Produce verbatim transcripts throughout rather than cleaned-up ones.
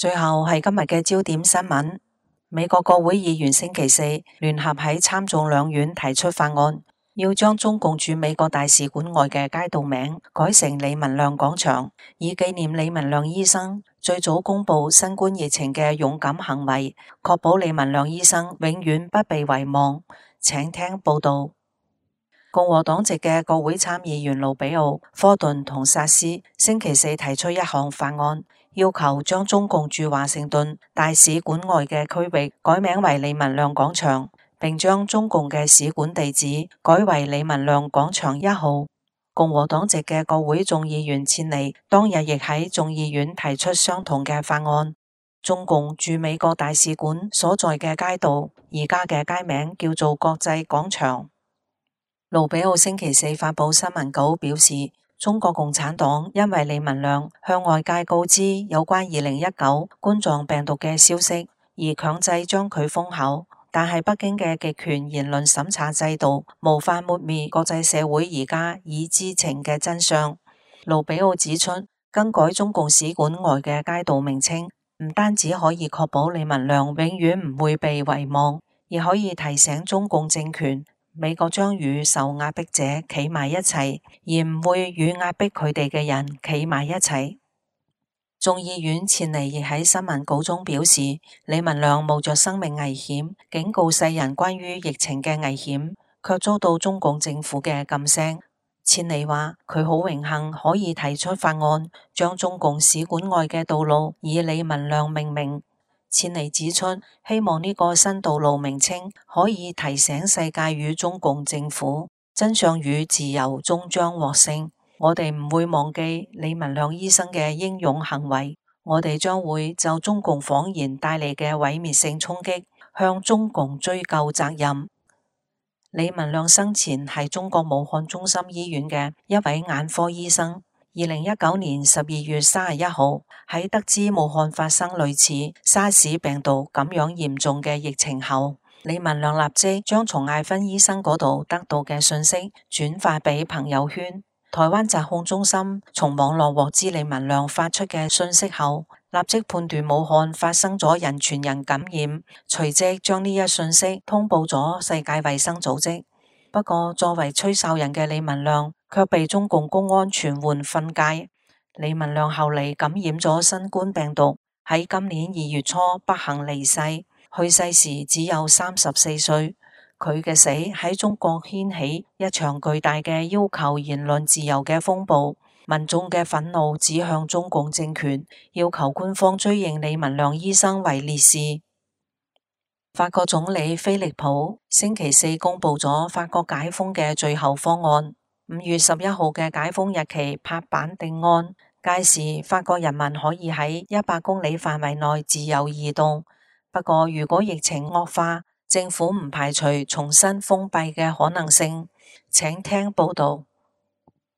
最後係今日嘅焦點新聞。美國國會議員星期四聯合喺參眾兩院提出法案，要將中共駐美國大使館外嘅街道名改成李文亮廣場，以紀念李文亮醫生最早公布新冠疫情嘅勇敢行為，確保李文亮醫生永遠不被遺忘。請聽報道。共和黨籍嘅國會參議員盧比奧、科頓同薩斯星期四提出一項法案，要求將中共駐華盛頓大使館外嘅區域改名為李文亮廣場，並將中共嘅使館地址改為李文亮廣場一號。共和黨籍嘅國會眾議員切尼當日亦喺眾議院提出相同嘅法案。中共駐美國大使館所在嘅街道而家嘅街名叫做國際廣場。盧比奧星期四發佈新聞稿表示，中國共產黨因為李文亮向外界告知有關二零一九冠狀病毒嘅消息，而強制將佢封口。但係北京嘅極權言論審查制度無法抹滅國際社會而家已知情嘅真相。盧比奧指出，更改中共使館外嘅街道名稱，唔單止可以確保李文亮永遠唔會被遺忘，亦可以提醒中共政權，美國將與受壓迫者企埋一齊，而唔會與壓迫佢哋嘅人企埋一齊。眾議院切尼亦喺新聞稿中表示，李文亮冒着生命危險，警告世人關於疫情嘅危險，卻遭到中共政府嘅噤聲。切尼話佢好榮幸可以提出法案，將中共使館外嘅道路以李文亮命名。切尼指出，希望呢個新道路名稱可以提醒世界與中共政府，真相與自由終將獲勝。我哋唔會忘記李文亮醫生嘅英勇行為，我哋將會就中共謊言帶嚟嘅毀滅性衝擊，向中共追究責任。李文亮生前係中國武漢中心醫院嘅一位眼科醫生。二零一九年十二月三十一號，喺得知武漢發生類似沙士病毒咁樣嚴重嘅疫情後，李文亮立即將從艾芬醫生嗰度得到嘅信息轉發俾朋友圈。台灣疾控中心從網絡獲知李文亮發出嘅信息後，立即判斷武漢發生咗人傳人感染，隨即將呢一信息通報咗世界衛生組織。不過作為吹哨人嘅李文亮卻被中共公安傳喚訓誡。李文亮後嚟感染咗新冠病毒，喺今年二月初不幸離世，去世時只有三十四歲。佢嘅死喺中國掀起一場巨大嘅要求言論自由嘅風暴，民眾嘅憤怒指向中共政權，要求官方追認李文亮醫生為烈士。法國總理菲利普星期四公布咗法國解封嘅最後方案，五月十一號嘅解封日期拍板定案，屆時法國人民可以喺一百公里範圍內自由移動。不過如果疫情惡化，政府唔排除重新封閉嘅可能性。請聽報道。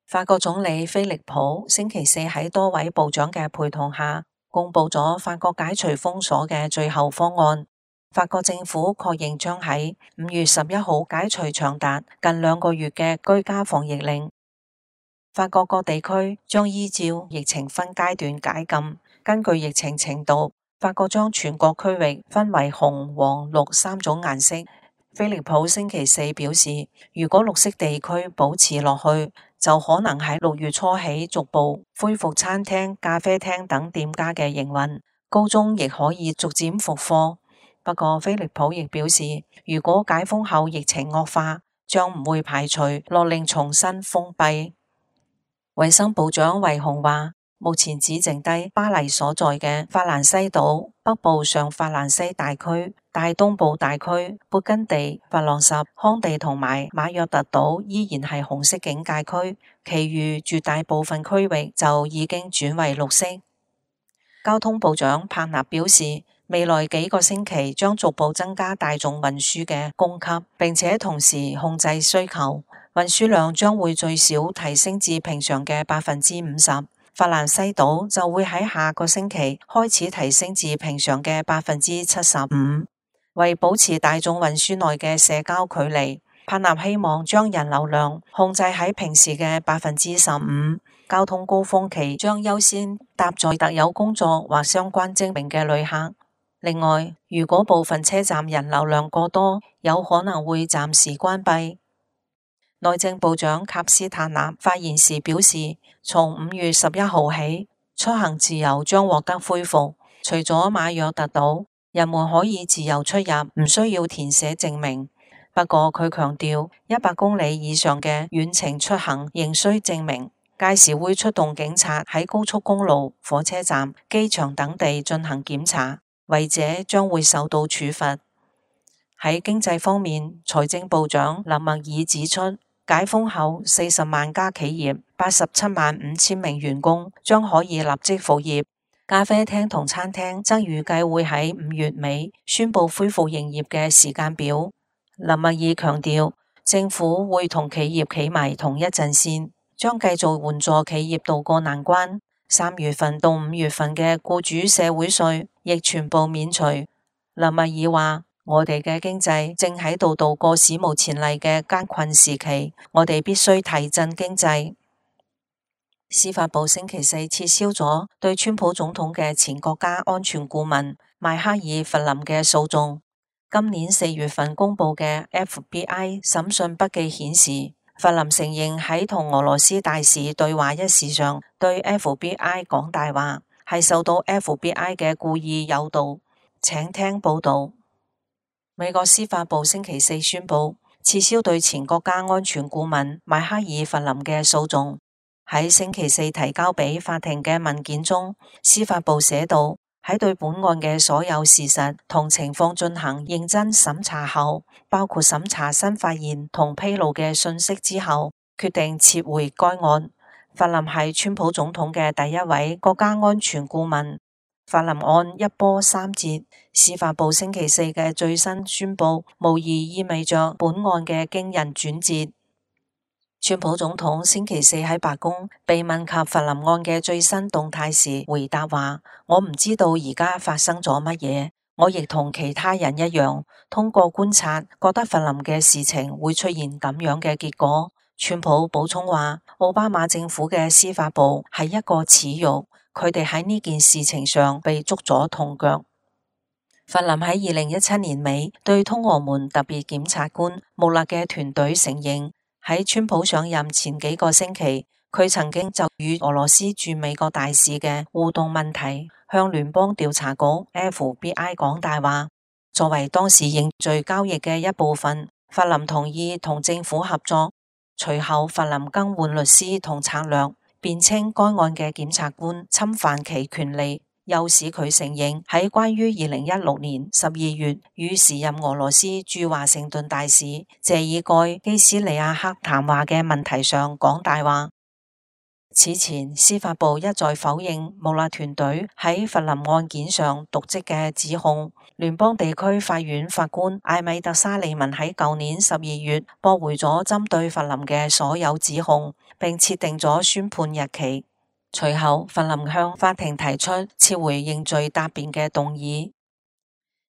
法國總理菲利普星期四喺多位部長嘅陪同下，公布咗法國解除封鎖嘅最後方案。法國政府確認將喺五月十一號解除長達近兩個月嘅居家防疫令。法國各地區將依照疫情分階段解禁，根據疫情程度，法國將全國區域分為紅、黃、綠三種顏色。菲利普星期四表示，如果綠色地區保持落去，就可能喺六月初起逐步恢復餐廳、咖啡廳等店家嘅營運，高中亦可以逐漸復課。不過菲利普亦表示，如果解封後疫情惡化，將唔會排除勒令重新封閉。衛生部長維洪話，目前只剩低巴黎所在嘅法蘭西島、北部上法蘭西大區、大東部大區、勃根地、法朗什、康地同埋馬約特島依然係紅色警戒區，其餘絕大部分區域就已經轉為綠色。交通部長帕納表示，未來幾個星期將逐步增加大眾運輸嘅供給，並且同時控制需求，運輸量將會最少提升至平常嘅百分之五十。法蘭西島就會喺下個星期開始提升至平常嘅百分之七十五。為保持大眾運輸內嘅社交距離，帕納希望將人流量控制喺平時嘅百分之十五。交通高峰期將優先搭載特有工作或相關證明嘅旅客。另外，如果部分車站人流量過多，有可能會暫時關閉。內政部長卡斯塔納發言時表示，從五月十一號起，出行自由將獲得恢復。除咗馬約特島，人們可以自由出入，唔需要填寫證明。不過佢強調，一百公里以上嘅遠程出行仍需證明。屆時會出動警察喺高速公路、火車站、機場等地進行檢查，違者將會受到處罰。喺經濟方面，財政部長林默爾指出，解封後四十萬家企業、八十七萬五千名員工將可以立即復業。咖啡廳同餐廳則預計會喺五月尾宣布恢復營業嘅時間表。林默爾強調，政府會同企業企埋同一陣線，將繼續援助企業渡過難關。三月份到五月份嘅僱主社會稅亦全部免除。林默爾話，我哋嘅經濟正喺度度過史無前例嘅艱困時期，我哋必須提振經濟。司法部星期四撤銷咗對川普總統嘅前國家安全顧問邁克爾弗林嘅訴訟。今年四月份公布嘅 F B I 審訊筆記顯示，弗林承認喺同俄羅斯大使對話一事上對 F B I 講大話，係受到 F B I 嘅故意誘導。請聽報道。美國司法部星期四宣布撤銷對前國家安全顧問邁克爾弗林嘅訴訟。喺星期四提交俾法庭嘅文件中，司法部寫道，喺對本案嘅所有事實同情況進行認真審查後，包括審查新發現同披露嘅信息之後，決定撤回該案。弗林係川普總統嘅第一位國家安全顧問。弗林案一波三折，司法部星期四嘅最新宣布，無疑意味着本案嘅驚人轉折。川普總統星期四喺白宮被問及弗林案嘅最新動態時，回答話：我唔知道而家發生咗乜嘢，我亦同其他人一樣，通過觀察，覺得弗林嘅事情會出現咁樣嘅結果。川普補充話：奧巴馬政府嘅司法部係一個恥辱，佢哋喺呢件事情上被捉咗痛腳。弗林喺二零一七年尾對通俄門特別檢察官穆勒嘅團隊承認，喺川普上任前幾個星期，佢曾經就與俄羅斯駐美國大使嘅互動問題，向聯邦調查局 F B I 講大話。作為當時認罪交易嘅一部分，弗林同意同政府合作。隨後，弗林更換律師同策略，辯稱該案嘅檢察官侵犯其權利，又使佢承認喺關於二零一六年十二月與時任俄羅斯駐華盛頓大使謝爾蓋基斯利亞克談話嘅問題上講大話。此前，司法部一再否認穆勒團隊喺弗林案件上瀆職嘅指控。聯邦地區法院法官艾米特沙利文喺舊年十二月駁回咗針對弗林嘅所有指控，並設定咗宣判日期。隨後，弗林向法庭提出撤回認罪答辯嘅動議。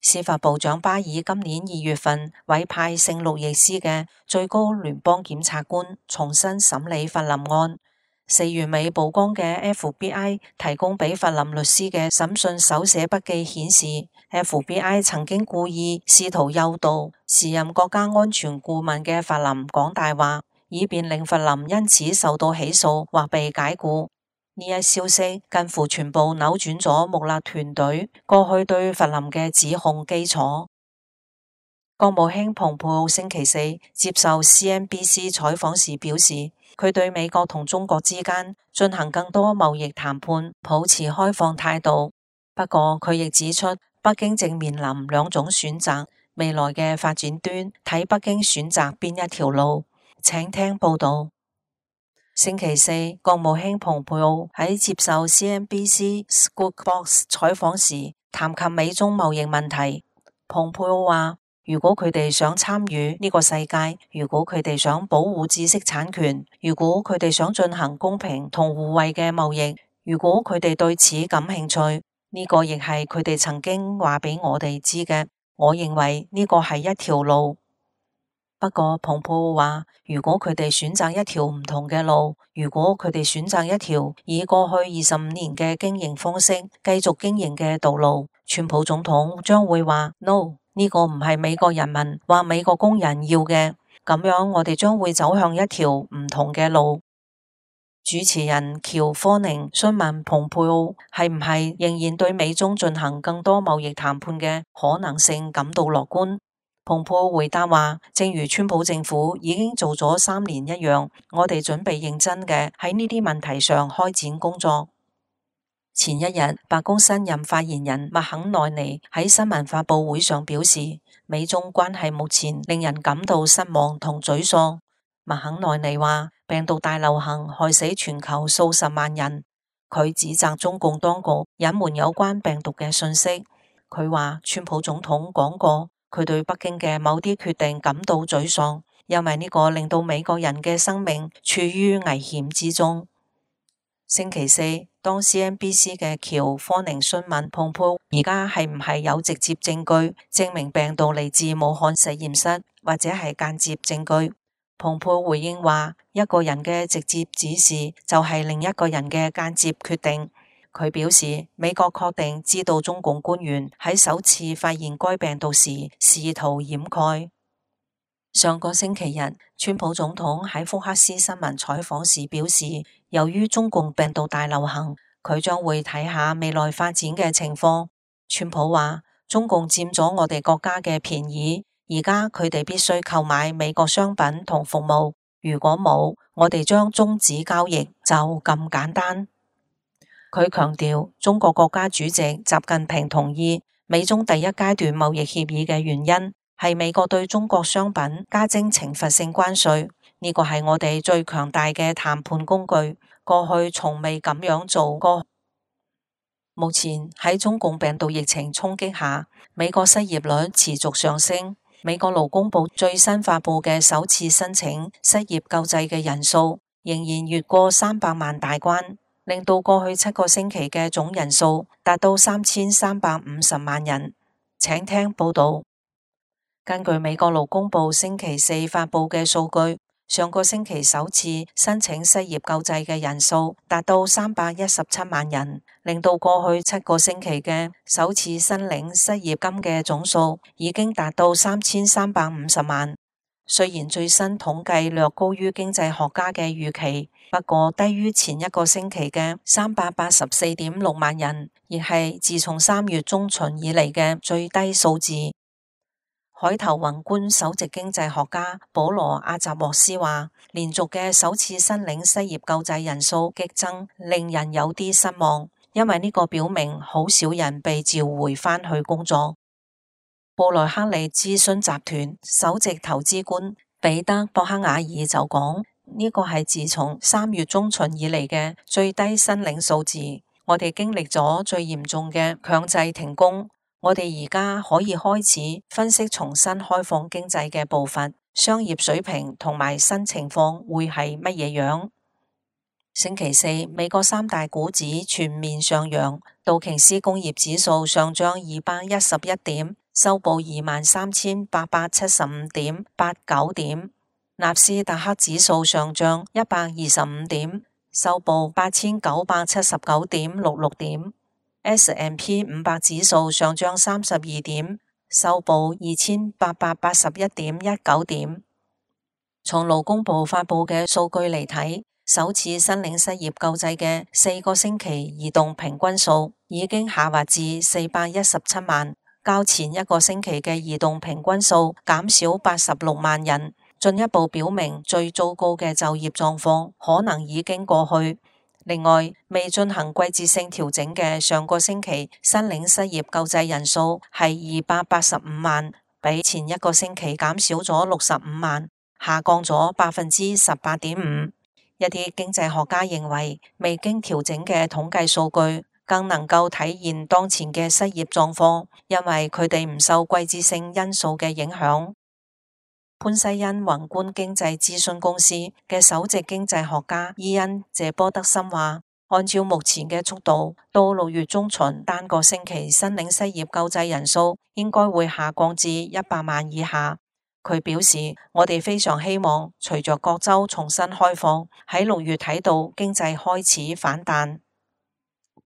司法部長巴爾今年二月份委派聖路易斯嘅最高聯邦檢察官重新審理弗林案。四月尾曝光嘅 F B I 提供俾弗林律師嘅審訊手寫筆記顯示， F B I 曾經故意試圖誘導時任國家安全顧問嘅弗林講大話，以便令弗林因此受到起訴或被解雇。呢一消息近乎全部扭轉咗穆勒團隊過去對弗林嘅指控基礎。國務卿蓬佩奧星期四接受 C N B C 採訪時表示，佢對美國同中國之間進行更多貿易談判抱持開放態度。不過佢亦指出，北京正面臨兩種選擇，未來嘅發展端睇北京選擇邊一條路。請聽報道。星期四，國務卿蓬佩奧喺接受 C N B C Squawk Box 採訪時談及美中貿易問題。蓬佩奧話，如果佢哋想參與呢個世界，如果佢哋想保護知識產權，如果佢哋想進行公平同互惠嘅貿易，如果佢哋對此感興趣，呢個亦係佢哋曾經話俾我哋知嘅。我認為呢個係一條路。不過蓬佩奧話，如果佢哋選擇一條唔同嘅路，如果佢哋選擇一條以過去二十五年嘅經營方式繼續經營嘅道路，川普總統將會話 No， 呢個唔係美國人民或美國工人要嘅，咁樣我哋將會走向一條唔同嘅路。主持人喬科寧詢問蓬佩奧係唔係仍然對美中進行更多貿易談判嘅可能性感到樂觀。蓬佩奧回答話，正如川普政府已經做咗三年一樣，我哋準備認真嘅喺呢啲問題上開展工作。前一日，白宮新任發言人麥肯奈尼喺新聞發佈會上表示，美中關係目前令人感到失望同沮喪。麥肯奈尼話，病毒大流行害死全球數十萬人，佢指責中共當局隱瞞有關病毒嘅信息。佢話，川普總統講過，佢對北京嘅某啲決定感到沮喪，因為呢個令到美國人嘅生命處於危險之中。星期四，當 C N B C 嘅喬科寧詢問蓬佩奧而家係唔係有直接證據證明病毒嚟自武漢實驗室，或者係間接證據，蓬佩奧回應話，一個人嘅直接指示就係另一個人嘅間接決定。佢表示，美國確定知道中共官員喺首次發現該病毒時試圖掩蓋。上個星期日，川普總統喺福克斯新聞採訪時表示，由於中共病毒大流行，佢將會睇下未來發展嘅情況。川普話，中共佔咗我哋國家嘅便宜，而家佢哋必須購買美國商品同服務，如果冇，我哋將終止交易，就咁簡單。佢強調，中國國家主席習近平同意美中第一階段貿易協議嘅原因係美國對中國商品加徵懲罰性關稅，呢個係我哋最強大嘅談判工具，過去從未咁樣做過。目前喺中共病毒疫情衝擊下，美國失業率持續上升。美國勞工部最新發佈嘅首次申請失業救濟嘅人數仍然越過三百萬大關，令到過去七個星期嘅總人數達到三千三百五十萬人。請聽報道。根據美國勞工部星期四發佈嘅數據，上個星期首次申請失業救濟嘅人數達到三百一十七萬人，令到過去七個星期嘅首次申領失業金嘅總數已經達到三千三百五十萬。雖然最新統計略高於經濟學家嘅預期，不過低於前一個星期嘅三百八十四點六萬人，亦係自從三月中旬以嚟嘅最低數字。海頭宏觀首席經濟學家保羅阿扎沃斯話，連續嘅首次申領失業救濟人數激增，令人有啲失望，因為呢個表明好少人被召回返去工作。布萊克利諮詢集團首席投資官彼得博克瓦爾就講，呢個係自從三月中旬以嚟嘅最低申領數字。我哋經歷咗最嚴重嘅強制停工，我哋而家可以開始分析重新開放經濟嘅步伐、商業水平同埋新情況會係乜嘢樣。星期四，美國三大股指全面上揚，道瓊斯工業指數上漲二百一十一點，收報二萬三千八百七十五點八九點；納斯達克指數上漲一百二十五點，收報八千九百七十九點六六點；S and P 五百指數上漲三十二點，收報二千八百八十一點一九點。從勞工部發佈嘅數據嚟睇，首次申領失業救濟嘅四個星期移動平均數已經下滑至四百一十七萬，較前一個星期嘅移動平均數減少八十六萬人，進一步表明最糟糕嘅就業狀況可能已經過去。另外，未進行季節性調整嘅上個星期申領失業救濟人數係二百八十五萬，比前一個星期減少咗六十五萬，下降咗百分之十八點五。一啲經濟學家認為，未經調整嘅統計數據更能夠體現當前嘅失業狀況，因為佢哋唔受季節性因素嘅影響。潘西恩宏觀經濟諮詢公司嘅首席經濟學家伊恩謝波德森話，按照目前嘅速度，到六月中旬單個星期申領失業救濟人數應該會下降至一百萬以下。佢表示，我哋非常希望隨着各州重新開放，喺六月睇到經濟開始反彈。